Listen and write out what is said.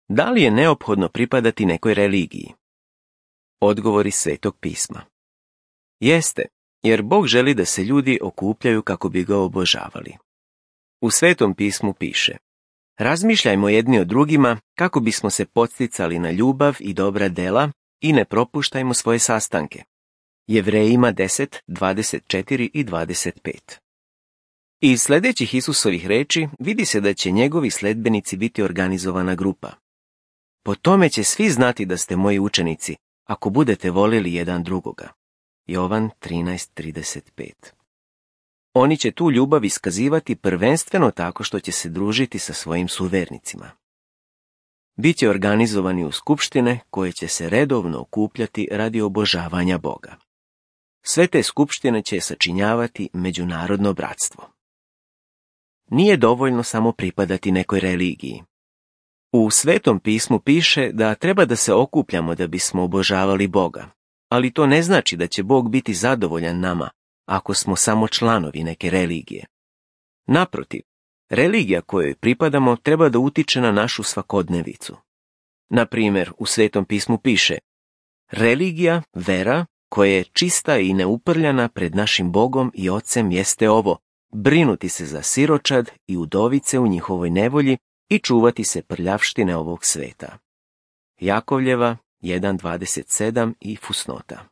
Da li je neophodno pripadati nekoj religiji? Odgovor iz Svetog pisma. Jeste, jer Bog želi da se ljudi okupljaju kako bi ga obožavali. U Svetom pismu piše: razmišljajmo jedni o drugima kako bismo se podsticali na ljubav i dobra dela i ne propuštajmo svoje sastanke. Jevrejima 10, 24 i 25. Iz sljedećih Isusovih reči vidi se da će njegovi sledbenici biti organizovana grupa. Po tome će svi znati da ste moji učenici, ako budete volili jedan drugoga. Jovan 13:35. Oni će tu ljubav iskazivati prvenstveno tako što će se družiti sa svojim suvernicima. Biće organizovani u skupštine koje će se redovno okupljati radi obožavanja Boga. Sve te skupštine će sačinjavati međunarodno bratstvo. Nije dovoljno samo pripadati nekoj religiji. U Svetom pismu piše da treba da se okupljamo da bismo obožavali Boga, ali to ne znači da će Bog biti zadovoljan nama ako smo samo članovi neke religije. Naprotiv, religija kojoj pripadamo treba da utiče na našu svakodnevicu. Na primjer, u Svetom pismu piše: religija, vera, koja je čista i neuprljana pred našim Bogom i Ocem jeste ovo: brinuti se za siročad i udovice u njihovoj nevolji i čuvati se prljavštine ovog sveta. Jakovljeva 1.27 i fusnota.